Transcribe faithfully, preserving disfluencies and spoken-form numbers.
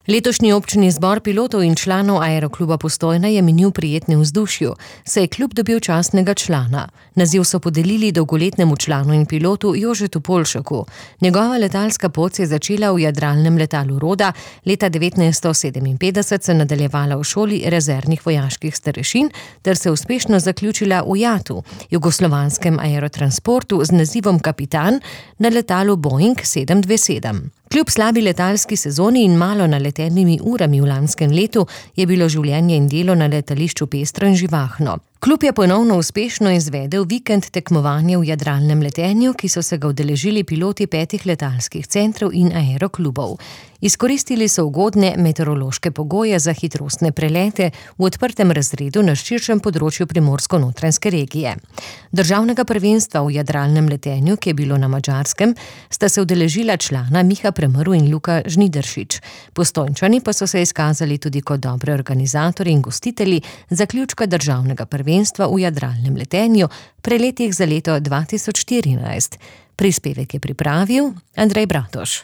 Letošnji občni zbor pilotov in članov Aerokluba Postojna je minil prijetni vzdušju, saj je klub dobil častnega člana. Naziv so podelili dolgoletnemu članu in pilotu Jožetu Polšaku. Njegova letalska pot se je začela v jadralnem letalu Roda, leta devetnajststo sedeminpetdeset se nadaljevala v šoli rezervnih vojaških starešin ter se uspešno zaključila v Jatu, jugoslovanskem aerotransportu z nazivom kapitan na letalu Boeing sedem dve sedem. Kljub slabi letalski sezoni in malo naletenimi urami v lanskem letu je bilo življenje in delo na letališču pestro in živahno. Klub je ponovno uspešno izvedel vikend tekmovanja v jadralnem letenju, ki so se ga udeležili piloti petih letalskih centrov in aeroklubov. Izkoristili so ugodne meteorološke pogoje za hitrostne prelete v odprtem razredu na širšem področju primorsko-notranjske regije. Državnega prvenstva v jadralnem letenju, ki je bilo na Madžarskem, sta se udeležila člana Miha Premrl in Luka Žnidaršič. Postojnčani pa so se izkazali tudi kot dobri organizatorji in gostitelji zaključka državnega prvenstva v jadralnem letenju, preletih za leto dva tisoč štirinajst. Prispevek je pripravil Andrej Bratoš.